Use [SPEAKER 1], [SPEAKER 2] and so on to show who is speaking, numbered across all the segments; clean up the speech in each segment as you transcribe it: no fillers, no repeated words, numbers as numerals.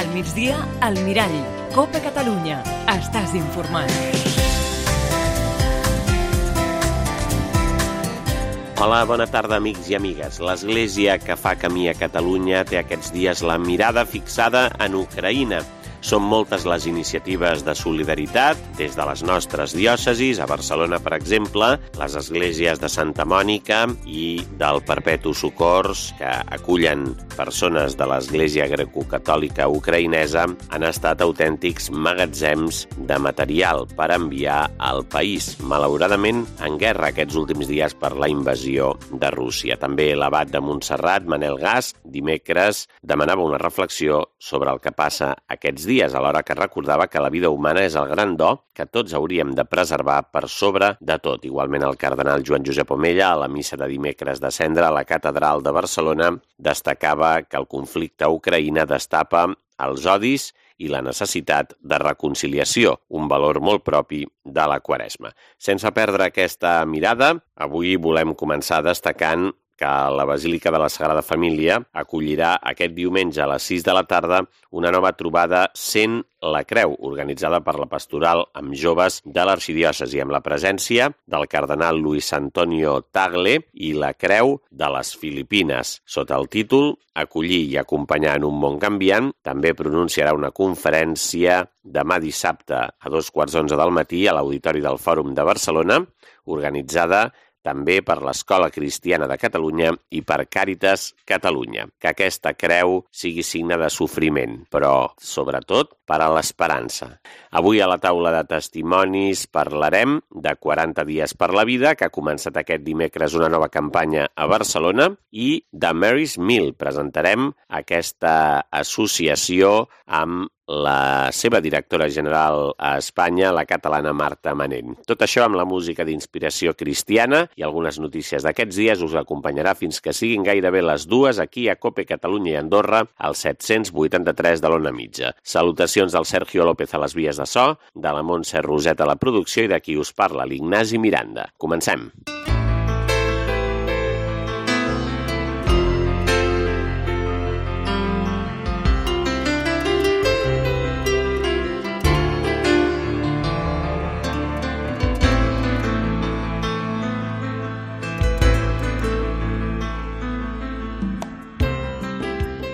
[SPEAKER 1] Al migdia, al Mirall. Copa Catalunya. Estàs informat.
[SPEAKER 2] Hola, bona tarda, amics i amigues. L'Església que fa camí a Catalunya té aquests dies la mirada fixada en Ucraïna. Són moltes les iniciatives de solidaritat, des de les nostres diòcesis, a Barcelona, per exemple, les esglésies de Santa Mònica i del Perpetu Socors, que acullen persones de l'Església Grecocatòlica ucraïnesa, han estat autèntics magatzems de material per enviar al país, malauradament en guerra aquests últims dies per la invasió de Rússia. També l'abat de Montserrat, Manel Gas, dimecres demanava una reflexió sobre el que passa aquests dies, alhora que recordava que la vida humana és el gran do que tots hauríem de preservar per sobre de tot. Igualment, el cardenal Joan Josep Omella, a la missa de dimecres de Cendra a la Catedral de Barcelona, destacava que el conflicte a Ucraïna destapa els odis i la necessitat de reconciliació, un valor molt propi de la Quaresma. Sense perdre aquesta mirada, avui volem començar destacant que la Basílica de la Sagrada Família acollirà aquest diumenge a les 6 de la tarda una nova trobada Sent la Creu, organitzada per la Pastoral amb joves de l'arxidiòcesi, amb la presència del cardenal Luis Antonio Tagle i la Creu de les Filipines. Sota el títol Acollir i acompanyar en un món canviant, també pronunciarà una conferència demà dissabte a 2:15 del matí a l'Auditori del Fòrum de Barcelona, organitzada també per l'Escola Cristiana de Catalunya i per Càritas Catalunya. Que aquesta creu sigui signe de sofriment, però, sobretot, per a l'esperança. Avui a la taula de testimonis parlarem de 40 dies per la vida, que ha començat aquest dimecres una nova campanya a Barcelona, i de Mary's Meal. Presentarem aquesta associació amb la seva directora general a Espanya, la catalana Marta Manent. Tot això amb la música d'inspiració cristiana i algunes notícies d'aquests dies us acompanyarà fins que siguin gairebé les 2 aquí a Cope Catalunya i Andorra, al 783 de l'Ona Mitja. Salutacions del Sergio López a les vies de so, de la Montse Roset a la producció i de qui us parla, l'Ignasi Miranda. Comencem.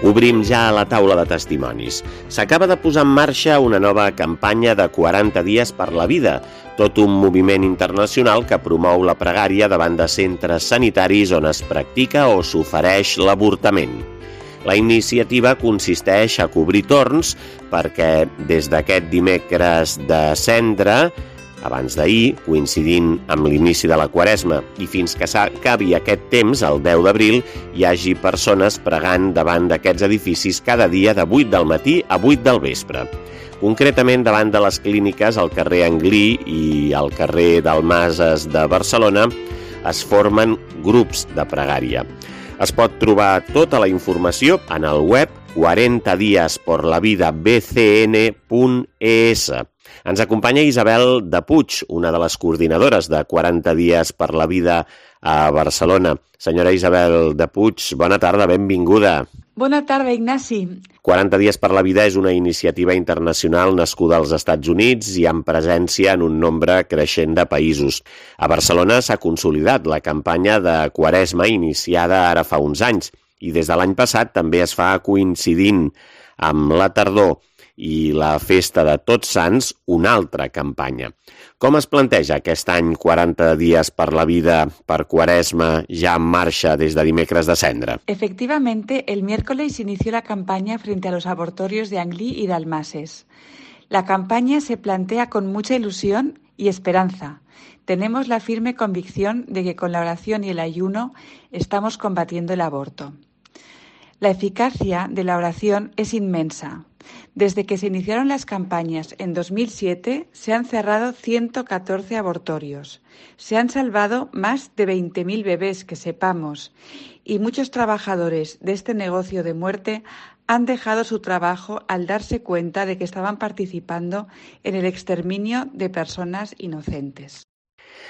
[SPEAKER 2] Obrim ja la taula de testimonis. S'acaba de posar en marxa una nova campanya de 40 dies per la vida, tot un moviment internacional que promou la pregària davant de centres sanitaris on es practica o s'ofereix l'avortament. La iniciativa consisteix a cobrir torns perquè des d'aquest dimecres de Cendra, abans d'ahir, coincidint amb l'inici de la Quaresma, i fins que s'acabi aquest temps, el 10 d'abril, hi hagi persones pregant davant d'aquests edificis cada dia de 8 del matí a 8 del vespre. Concretament, davant de les clíniques al carrer Anglí i al carrer Dalmases de Barcelona es formen grups de pregària. Es pot trobar tota la informació en el web 40diesporlavidabcn.es. Ens acompanya Isabel de Puig, una de les coordinadores de 40 dies per la vida a Barcelona. Senyora Isabel de Puig, bona tarda, benvinguda.
[SPEAKER 3] Bona tarda, Ignasi.
[SPEAKER 2] 40 dies per la vida és una iniciativa internacional nascuda als Estats Units i amb presència en un nombre creixent de països. A Barcelona s'ha consolidat la campanya de Quaresma iniciada ara fa uns anys i des de l'any passat també es fa coincidint amb la tardor i la festa de Tots Sants, una altra campanya. Com es planteja aquest any 40 dies per la vida per Quaresma ya en marcha desde dimecres de Cendra?
[SPEAKER 3] Efectivamente, el miércoles inició la campaña frente a los abortorios de Anglí y Dalmases. La campaña se plantea con mucha ilusión y esperanza. Tenemos la firme convicción de que con la oración y el ayuno estamos combatiendo el aborto. La eficacia de la oración es inmensa. Desde que se iniciaron las campañas en 2007, se han cerrado 114 abortorios. Se han salvado más de 20.000 bebés que sepamos y muchos trabajadores de este negocio de muerte han dejado su trabajo al darse cuenta de que estaban participando en el exterminio de personas inocentes.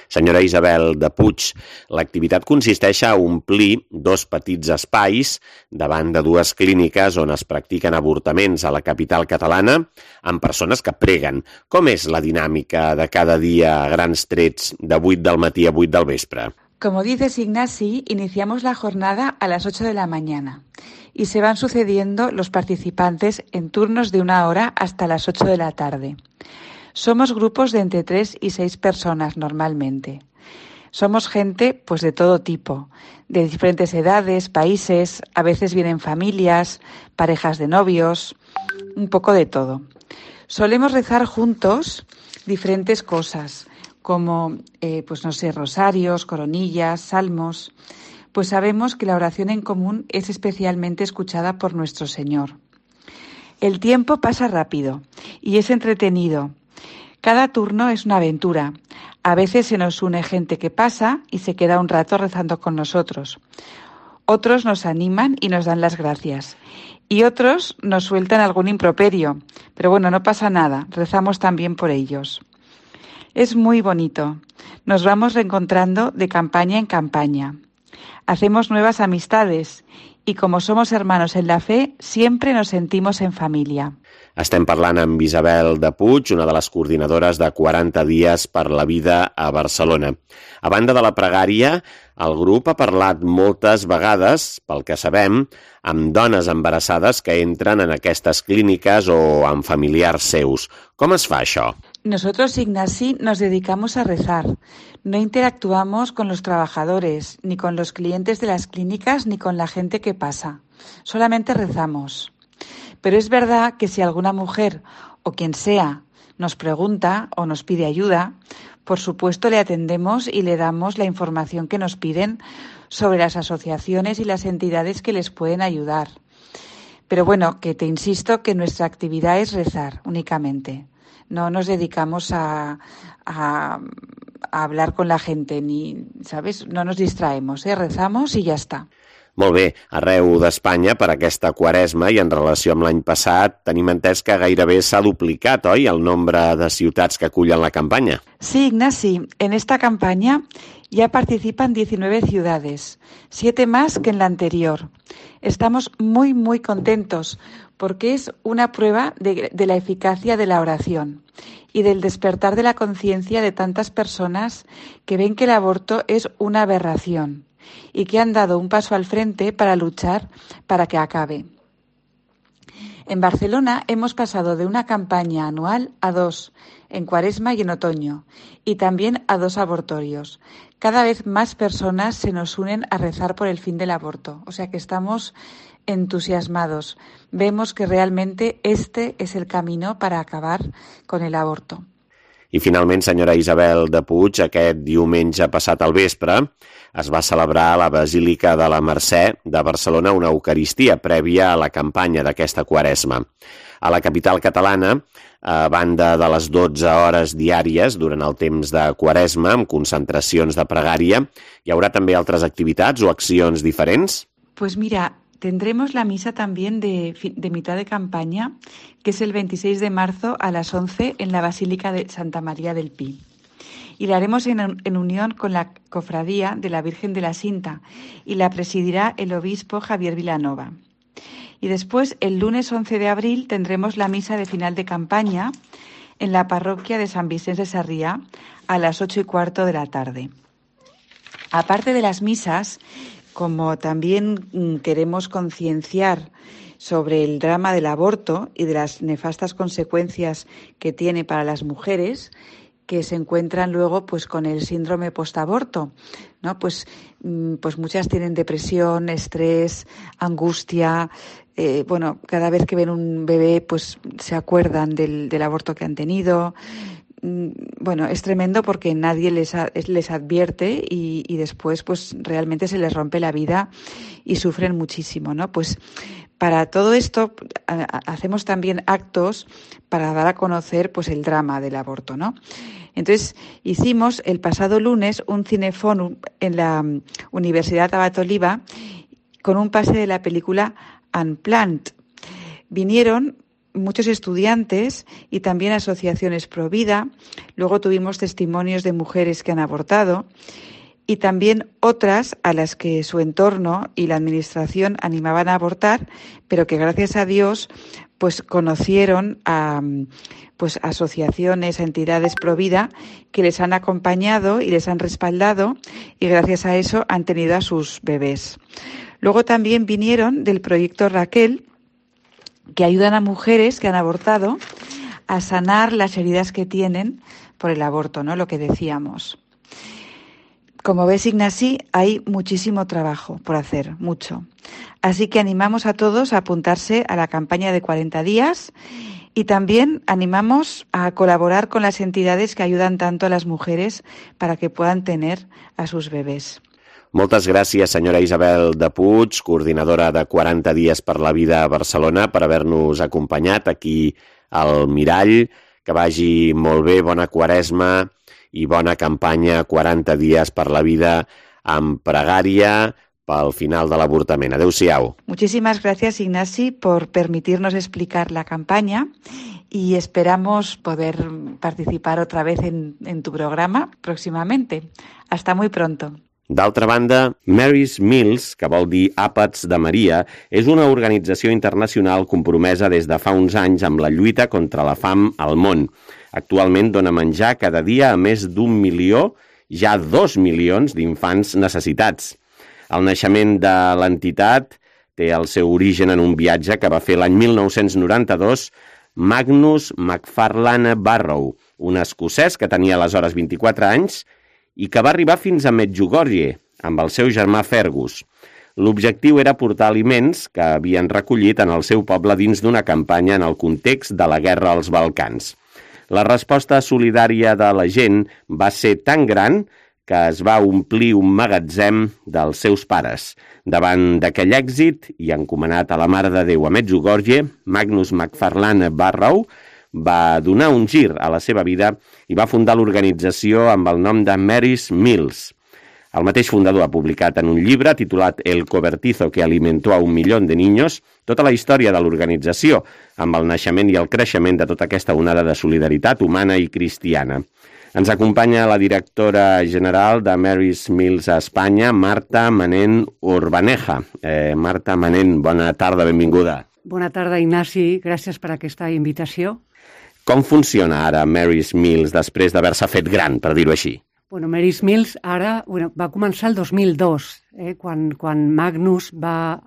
[SPEAKER 2] Senyora Isabel de Puig, l'activitat consisteix a omplir 2 petits espais davant de 2 clíniques on es practiquen avortaments a la capital catalana amb persones que preguen. Com és la dinàmica de cada dia a grans trets de 8 del matí a 8 del vespre?
[SPEAKER 3] Como dices, Ignasi, iniciamos la jornada a las 8 de la mañana y se van sucediendo los participantes en turnos de 1 hora hasta las 8 de la tarde. Somos grupos de entre 3 y 6 personas normalmente. Somos gente pues de todo tipo, de diferentes edades, países, a veces vienen familias, parejas de novios, un poco de todo. Solemos rezar juntos diferentes cosas, como, rosarios, coronillas, salmos, pues sabemos que la oración en común es especialmente escuchada por nuestro Señor. El tiempo pasa rápido y es entretenido. Cada turno es una aventura. A veces se nos une gente que pasa y se queda un rato rezando con nosotros. Otros nos animan y nos dan las gracias. Y otros nos sueltan algún improperio. Pero bueno, no pasa nada, rezamos también por ellos. Es muy bonito. Nos vamos reencontrando de campaña en campaña. Hacemos nuevas amistades y como somos hermanos en la fe, siempre nos sentimos en familia.
[SPEAKER 2] Estem parlant amb Isabel de Puig, una de les coordinadores de 40 dies per la vida a Barcelona. A banda de la pregària, el grup ha parlat moltes vegades, pel que sabem, amb dones embarassades que entren en aquestes clíniques o amb familiars seus. Com es fa això?
[SPEAKER 3] Nosotros, Ignasi, nos dedicamos a rezar. No interactuamos con los trabajadores, ni con los clientes de las clínicas, ni con la gente que pasa. Solamente rezamos. Pero es verdad que si alguna mujer o quien sea nos pregunta o nos pide ayuda, por supuesto le atendemos y le damos la información que nos piden sobre las asociaciones y las entidades que les pueden ayudar. Pero bueno, que te insisto que nuestra actividad es rezar únicamente. No nos dedicamos a hablar con la gente, ni, ¿sabes? No nos distraemos, rezamos y ya está.
[SPEAKER 2] Molt bé, arreu d'Espanya per aquesta Quaresma i en relació amb l'any passat tenim entès que gairebé s'ha duplicat, oi, el nombre de ciutats que acullen la campanya?
[SPEAKER 3] Sí, Ignasi, en esta campaña ya participan 19 ciudades, 7 más que en la anterior. Estamos muy, muy contentos porque es una prueba de la eficacia de la oración y del despertar de la conciencia de tantas personas que ven que el aborto es una aberración y que han dado un paso al frente para luchar para que acabe. En Barcelona hemos pasado de una campaña anual a 2, en Cuaresma y en otoño, y también a 2 abortorios. Cada vez más personas se nos unen a rezar por el fin del aborto, o sea que estamos entusiasmados. Vemos que realmente este es el camino para acabar con el aborto.
[SPEAKER 2] I finalment, senyora Isabel de Puig, aquest diumenge passat al vespre es va celebrar a la Basílica de la Mercè de Barcelona una Eucaristia prèvia a la campanya d'aquesta Quaresma. A la capital catalana, a banda de les 12 hores diàries durant el temps de Quaresma, amb concentracions de pregària, hi haurà també altres activitats o accions diferents?
[SPEAKER 3] Pues mira, tendremos la misa también de mitad de campaña, que es el 26 de marzo a las 11 en la Basílica de Santa María del Pi. Y la haremos en unión con la Cofradía de la Virgen de la Cinta y la presidirá el obispo Javier Vilanova. Y después, el lunes 11 de abril, tendremos la misa de final de campaña en la parroquia de San Vicente de Sarriá a las 8:15 de la tarde. Aparte de las misas, como también queremos concienciar sobre el drama del aborto y de las nefastas consecuencias que tiene para las mujeres que se encuentran luego pues con el síndrome postaborto, ¿no? Pues muchas tienen depresión, estrés, angustia. Cada vez que ven un bebé pues se acuerdan del aborto que han tenido. Es tremendo porque nadie les advierte y después pues realmente se les rompe la vida y sufren muchísimo, ¿no? Pues para todo esto hacemos también actos para dar a conocer pues el drama del aborto, ¿no? Entonces hicimos el pasado lunes un cineforum en la Universidad Abat Oliba con un pase de la película Unplanned. Vinieron muchos estudiantes y también asociaciones pro vida. Luego tuvimos testimonios de mujeres que han abortado y también otras a las que su entorno y la administración animaban a abortar, pero que gracias a Dios pues conocieron a asociaciones, a entidades pro vida que les han acompañado y les han respaldado, y gracias a eso han tenido a sus bebés. Luego también vinieron del proyecto Raquel, que ayudan a mujeres que han abortado a sanar las heridas que tienen por el aborto, ¿no? Lo que decíamos. Como ves, Ignasi, hay muchísimo trabajo por hacer, mucho. Así que animamos a todos a apuntarse a la campaña de 40 días y también animamos a colaborar con las entidades que ayudan tanto a las mujeres para que puedan tener a sus bebés.
[SPEAKER 2] Moltes gràcies, senyora Isabel de Puig, coordinadora de 40 dies per la vida a Barcelona, per haver-nos acompanyat aquí al Mirall. Que vagi molt bé, bona Quaresma i bona campanya 40 dies per la vida amb pregària pel final de l'avortament. Adéu-siau.
[SPEAKER 3] Muchísimas gracias, Ignasi, por permitirnos explicar la campaña y esperamos poder participar otra vez en tu programa próximamente. Hasta muy pronto.
[SPEAKER 2] D'altra banda, Mary's Meals, que vol dir Àpats de Maria, és una organització internacional compromesa des de fa uns anys amb la lluita contra la fam al món. Actualment dona menjar cada dia a més d'1 milió, ja 2 milions d'infants necessitats. El naixement de l'entitat té el seu origen en un viatge que va fer l'any 1992 Magnus McFarlane Barrow, un escocès que tenia aleshores 24 anys i que va arribar fins a Medjugorje amb el seu germà Fergus. L'objectiu era portar aliments que havien recollit en el seu poble dins d'una campanya en el context de la guerra als Balcans. La resposta solidària de la gent va ser tan gran que es va omplir un magatzem dels seus pares. Davant d'aquell èxit i encomanat a la Mare de Déu a Medjugorje, Magnus McFarlane Barrow va donar un gir a la seva vida i va fundar l'organització amb el nom de Mary's Meals. El mateix fundador ha publicat en un llibre titulat El cobertizo que alimentó a 1 milió de niños tota la història de l'organització, amb el naixement i el creixement de tota aquesta onada de solidaritat humana i cristiana. Ens acompanya la directora general de Mary's Meals a Espanya, Marta Manent Urbaneja. Marta Manent, bona tarda, benvinguda.
[SPEAKER 4] Bona tarda, Ignasi. Gràcies per aquesta invitació.
[SPEAKER 2] Com funciona ara Mary's Meals després d'haver-se fet gran, per dir-ho així?
[SPEAKER 4] Mary's Meals ara va començar el 2002, quan Magnus va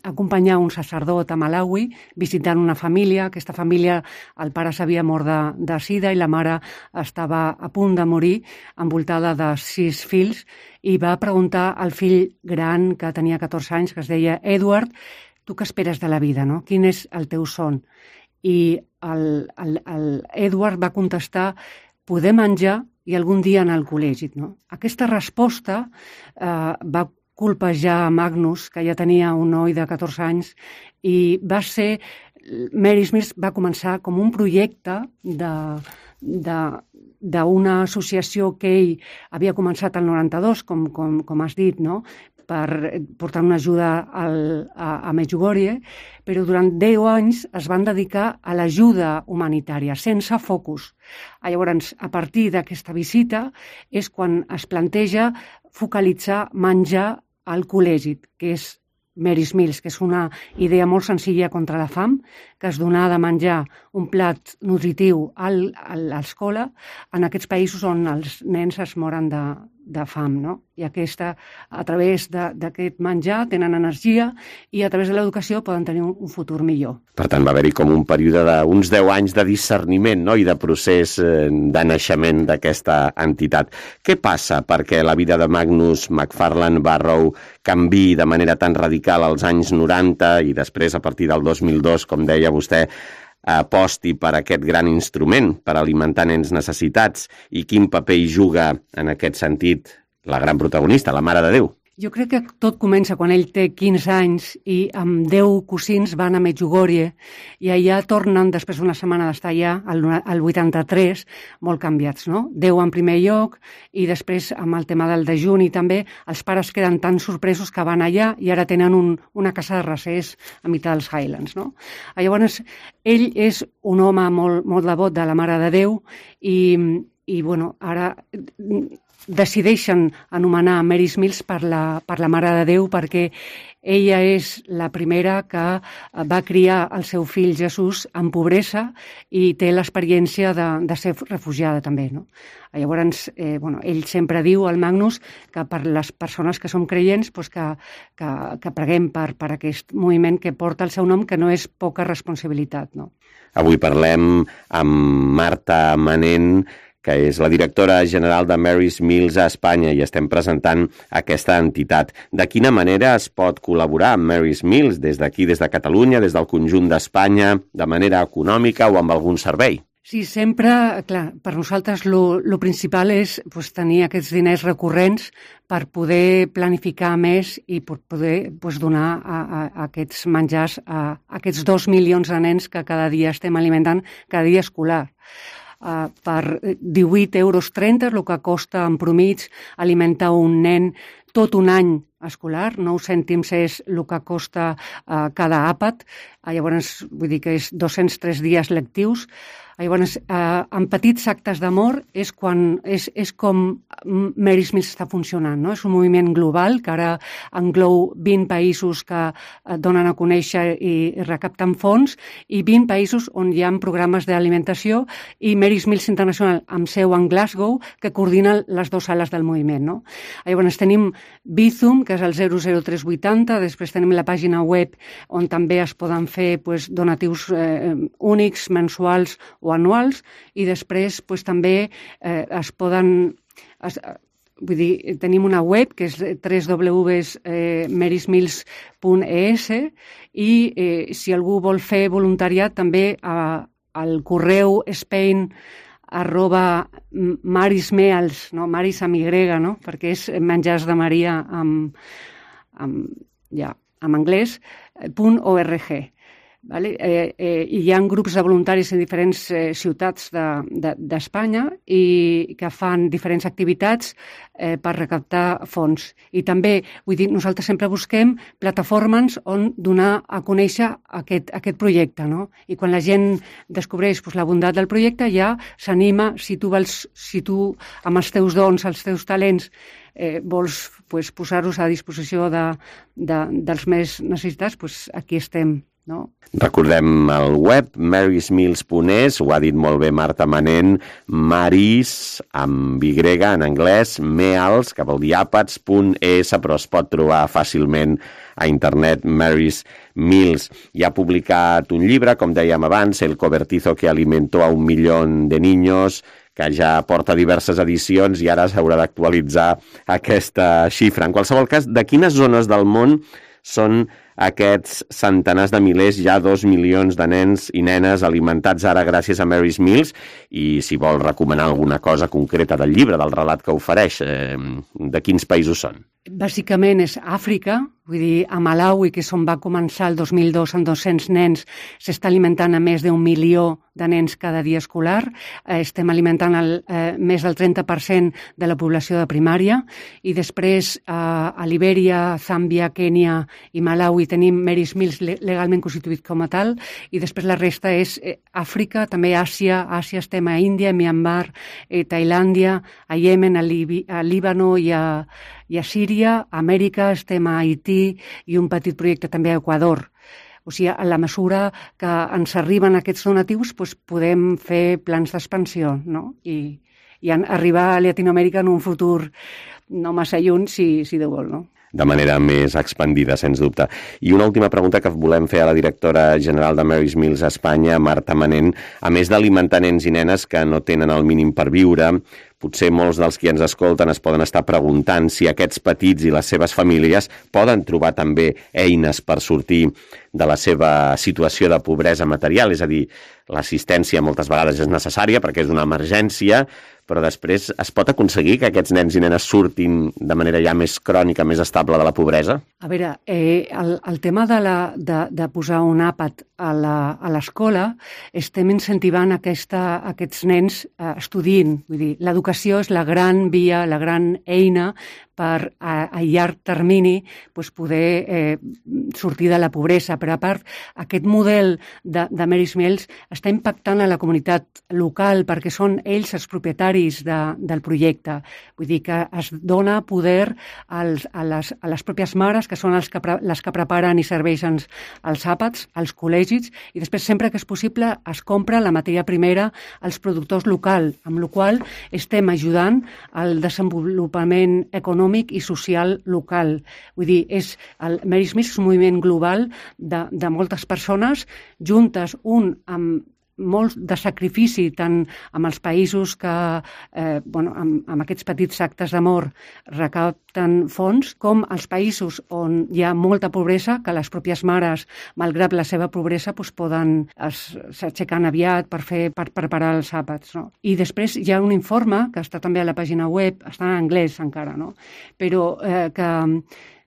[SPEAKER 4] acompanyar un sacerdot a Malawi visitant una família. Aquesta família, el pare s'havia mort de sida i la mare estava a punt de morir, envoltada de 6 fills, i va preguntar al fill gran, que tenia 14 anys, que es deia Edward, tu què esperes de la vida, no? Quin és el teu son? I el Edward va contestar, poder menjar i algun dia anar al col·legi, no? Aquesta resposta va colpejar Magnus, que ja tenia un noi de 14 anys, i va ser... Mary's Meals va començar com un projecte d'una associació que ell havia començat el 92, com has dit, no?, per portar una ajuda a Medjugorje, però durant 10 anys es van dedicar a l'ajuda humanitària, sense focus. Llavors, a partir d'aquesta visita és quan es planteja focalitzar menjar al col·legi, que és Mary's Meals, que és una idea molt senzilla contra la fam, que es donar de menjar un plat nutritiu a l'escola en aquests països on els nens es moren de fam, no? I a través d'aquest menjar tenen energia i a través de l'educació poden tenir un futur millor.
[SPEAKER 2] Per tant, va haver-hi com un període d'uns 10 anys de discerniment, no?, i de procés de naixement d'aquesta entitat. Què passa perquè la vida de Magnus McFarlane Barrow canviï de manera tan radical als anys 90 i després, a partir del 2002, com deia vostè, aposti per aquest gran instrument per alimentar nens necessitats, i quin paper hi juga en aquest sentit la gran protagonista, la Mare de Déu?
[SPEAKER 4] Jo crec que tot comença quan ell té 15 anys i amb 10 cosins van a Medjugorje i allà tornen, després d'una setmana d'estar allà, al 83, molt canviats, no? 10 en primer lloc i després amb el tema del dejuni també, els pares queden tan sorpresos que van allà i ara tenen una casa de recés a mitjà dels Highlands, no? Llavors, ell és un home molt devot de la Mare de Déu i bueno, ara decideixen anomenar Mary Mills per la Mare de Déu perquè ella és la primera que va criar el seu fill Jesús en pobresa i té l'experiència de ser refugiada també, no? Llavors, ell sempre diu al Magnus que per les persones que som creients que preguem per aquest moviment que porta el seu nom, que no és poca responsabilitat, no?
[SPEAKER 2] Avui parlem amb Marta Manent, que és la directora general de Mary's Mills a Espanya i estem presentant aquesta entitat. De quina manera es pot col·laborar amb Mary's Mills des d'aquí, des de Catalunya, des del conjunt d'Espanya, de manera econòmica o amb algun servei?
[SPEAKER 4] Sí, sempre, clar, per nosaltres lo principal és tenir aquests diners recurrents per poder planificar més i per poder donar a aquests menjars a aquests 2 milions de nens que cada dia estem alimentant, cada dia escolar. Per 18,30 euros, el que costa en promig alimentar un nen tot un any escolar, 9 cèntims és el que costa cada àpat, llavors vull dir que és 203 dies lectius. Llavors, en petits actes d'amor és com Mary's Mills està funcionant, no? És un moviment global que ara engloba 20 països que donen a conèixer i recapten fons i 20 països on hi ha programes d'alimentació i Mary's Mills International amb seu en Glasgow que coordina les 2 ales del moviment, no? Llavors tenim Bizum, que és el 00380, després tenim la pàgina web on també es poden fer donatius únics, mensuals o anuals, i després també es poden... Vull dir, tenim una web que és www.marysmills.es i si algú vol fer voluntariat també al correu spain@marysmeals, no? Marys amb Y, no? Perquè és menjars de Maria en anglès, .org. Vale? Hi ha grups de voluntaris en diferents ciutats d'Espanya i que fan diferents activitats per recaptar fons. I també, vull dir, nosaltres sempre busquem plataformes on donar a conèixer aquest projecte, no? I quan la gent descobreix la bondat del projecte ja s'anima, si tu amb els teus dons, els teus talents, vols posar-los a disposició dels més necessitats, aquí estem. No?
[SPEAKER 2] Recordem el web marysmills.es, ho ha dit molt bé Marta Manent, Marys amb Y en anglès, meals, que vol dir àpats.es, però es pot trobar fàcilment a internet Mary's Mills. I ha publicat un llibre, com dèiem abans, El cobertizo que alimentó a 1 milió de niños, que ja porta diverses edicions i ara s'haurà d'actualitzar aquesta xifra. En qualsevol cas, de quines zones del món són aquests centenars de milers, ja 2 milions de nens i nenes alimentats ara gràcies a Mary's Mills? I si vol recomanar alguna cosa concreta del llibre, del relat que ofereix, de quins països són?
[SPEAKER 4] Bàsicament és Àfrica, vull dir, a Malawi, que és on va començar el 2002 amb 200 nens, s'està alimentant a més d'1 milió de nens cada dia escolar. Estem alimentant més del 30% de la població de primària. I després a Libèria, Zàmbia, Kènia i Malawi tenim Mary's Mills legalment constituït com a tal. I després la resta és Àfrica, també Àsia. Àsia estem a Índia, Myanmar, Tailàndia, a Iemen, a Líbano i a Síria. A Amèrica estem a Haití i un petit projecte també a Equador. O sigui, a la mesura que ens arriben aquests donatius, podem fer plans d'expansió, no? I arribar a Llatinoamèrica en un futur no massa lluny, si Déu vol, no?
[SPEAKER 2] De manera més expandida, sens dubte. I una última pregunta que volem fer a la directora general de Mary's Mills a Espanya, Marta Manent. A més d'alimentar nens i nenes que no tenen el mínim per viure, potser molts dels qui ens escolten es poden estar preguntant si aquests petits i les seves famílies poden trobar també eines per sortir de la seva situació de pobresa material. És a dir, l'assistència moltes vegades és necessària perquè és una emergència, però després es pot aconseguir que aquests nens i nenes surtin de manera ja més crònica, més estable de la pobresa?
[SPEAKER 4] A veure, el tema de posar un àpat a l'escola, estem incentivant aquests nens estudiïn. Vull dir, l'educació és la gran via, la gran eina per a llarg termini poder sortir de la pobresa. Però a part, aquest model de Mary's Meals està impactant a la comunitat local perquè són ells els propietaris del projecte. Vull dir que es dona poder a les pròpies mares, que són les que preparen i serveixen els àpats, als col·legis, i després sempre que és possible es compra la matèria primera als productors locals, amb la qual estem ajudant al desenvolupament econòmic i social local. Vull dir, el Mary's Meals és un moviment global de moltes persones juntes, amb molt de sacrifici, tant amb els països que, amb aquests petits actes d'amor recapten fons, com els països on hi ha molta pobresa, que les pròpies mares, malgrat la seva pobresa, s'aixequen aviat per preparar els àpats. No? I després hi ha un informe, que està també a la pàgina web, està en anglès encara, no? Però que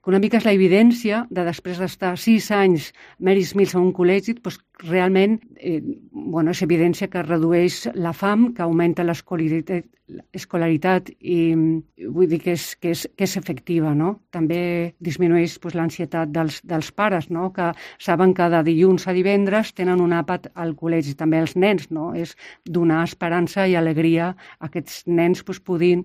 [SPEAKER 4] una mica és l'evidència de després d'estar 6 anys Mary's Meals a un col·legi, realment és evidència que redueix la fam, que augmenta l'escolaritat i vull dir que és efectiva, no? També disminueix l'ansietat dels pares, no? Que saben que de dilluns a divendres tenen un àpat al col·legi, també els nens, no? És donar esperança i alegria a aquests nens puguin,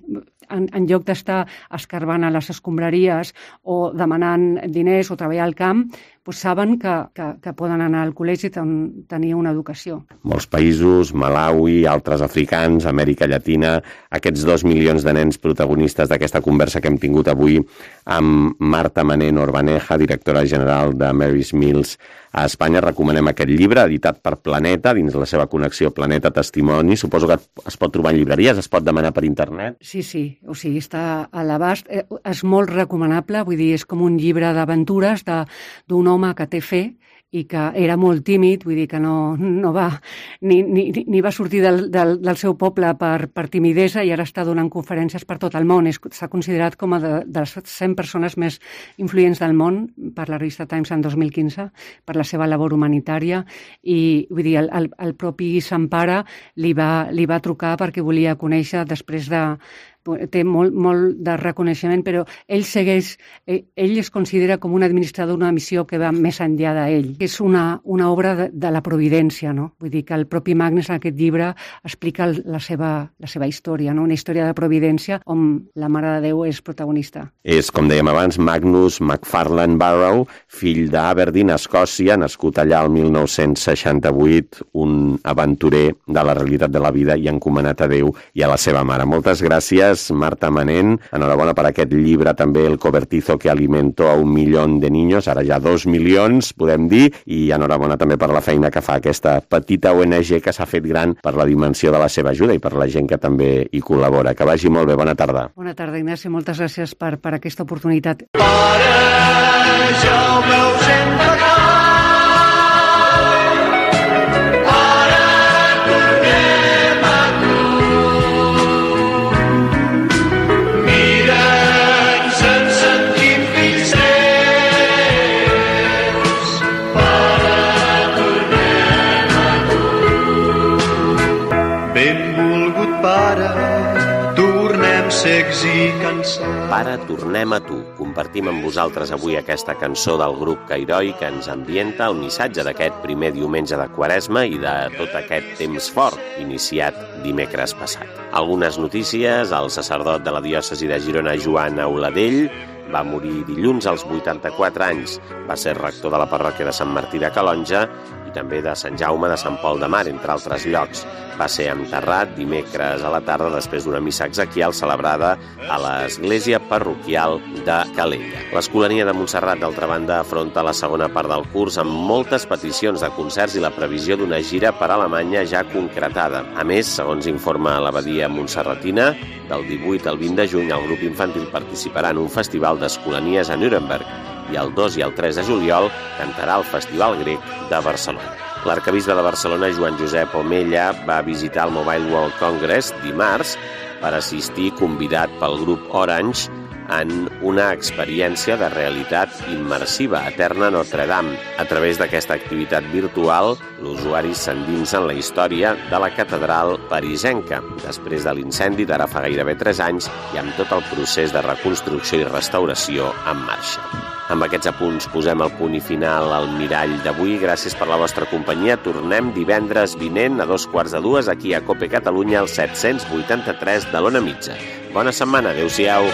[SPEAKER 4] en lloc d'estar escarbant a les escombraries o demanant diners o treballar al camp, saben que poden anar al col·legi on tenir una educació.
[SPEAKER 2] Molts països, Malawi, altres africans, Amèrica Llatina, aquests 2 milions de nens protagonistes d'aquesta conversa que hem tingut avui amb Marta Manén Orbaneja, directora general de Mary's Meals a Espanya. Recomanem aquest llibre, editat per Planeta, dins la seva connexió Planeta Testimoni. Suposo que es pot trobar en llibreries, es pot demanar per internet.
[SPEAKER 4] Sí, o sigui, està a l'abast. És molt recomanable, vull dir, és com un llibre d'aventures d'un home que té fe i que era molt tímid, vull dir que no va ni va sortir del seu poble per timidesa i ara està donant conferències per tot el món. S'ha considerat com a de les 100 persones més influents del món per la revista Times en 2015 per la seva labor humanitària i vull dir, el propi Sant Pare li va trucar perquè volia conèixer després de té molt de reconeixement, però ell es considera com un administrador d'una missió que va més enllà d'ell. És una obra de la providència, no? Vull dir que el propi Magnus en aquest llibre explica la seva història, no? Una història de providència on la Mare de Déu és protagonista.
[SPEAKER 2] És, com dèiem abans, Magnus McFarlane Barrow, fill d'Aberdeen, Escòcia, nascut allà el 1968, un aventurer de la realitat de la vida i encomanat a Déu i a la seva mare. Moltes gràcies, Marta Manén. Enhorabona per aquest llibre, també El cobertizo que alimentó a 1 milió de niños, ara ja 2 milions, podem dir, i enhorabona també per la feina que fa aquesta petita ONG que s'ha fet gran per la dimensió de la seva ajuda i per la gent que també hi col·labora. Que vagi molt bé, bona tarda.
[SPEAKER 4] Bona tarda, Ignacio, moltes gràcies per aquesta oportunitat.
[SPEAKER 5] Pare, ja ho veus sempre clar.
[SPEAKER 2] Pare, tornem a tu. Compartim amb vosaltres avui aquesta cançó del grup Cairoi que ens ambienta el missatge d'aquest primer diumenge de Quaresma i de tot aquest temps fort iniciat dimecres passat. Algunes notícies: el sacerdot de la diòcesi de Girona, Joan Auladell, va morir dilluns als 84 anys. Va ser rector de la parròquia de Sant Martí de Calonja i també de Sant Jaume de Sant Pol de Mar, entre altres llocs. Va ser enterrat dimecres a la tarda després d'una missa exequial celebrada a l'església parroquial de Calella. L'Escolania de Montserrat, d'altra banda, afronta la segona part del curs amb moltes peticions de concerts i la previsió d'una gira per Alemanya ja concretada. A més, segons informa l'Abadia Montserratina, del 18 al 20 de juny el grup infantil participarà en un festival d'escolanies a Nuremberg i el 2 i el 3 de juliol cantarà al Festival Grec de Barcelona. L'arquebisbe de Barcelona, Joan Josep Omella, va visitar el Mobile World Congress dimarts per assistir, convidat pel grup Orange, en una experiència de realitat immersiva eterna a Notre Dame. A través d'aquesta activitat virtual, l'usuari s'endinsa en la història de la catedral parisenca, després de l'incendi d'ara fa gairebé 3 anys i amb tot el procés de reconstrucció i restauració en marxa. Amb aquests apunts posem el punt i final al Mirall d'avui. Gràcies per la vostra companyia. Tornem divendres vinent a 2:15 aquí a COPE Catalunya, al 783 de l'Ona Mitja. Bona setmana. Adéu-siau.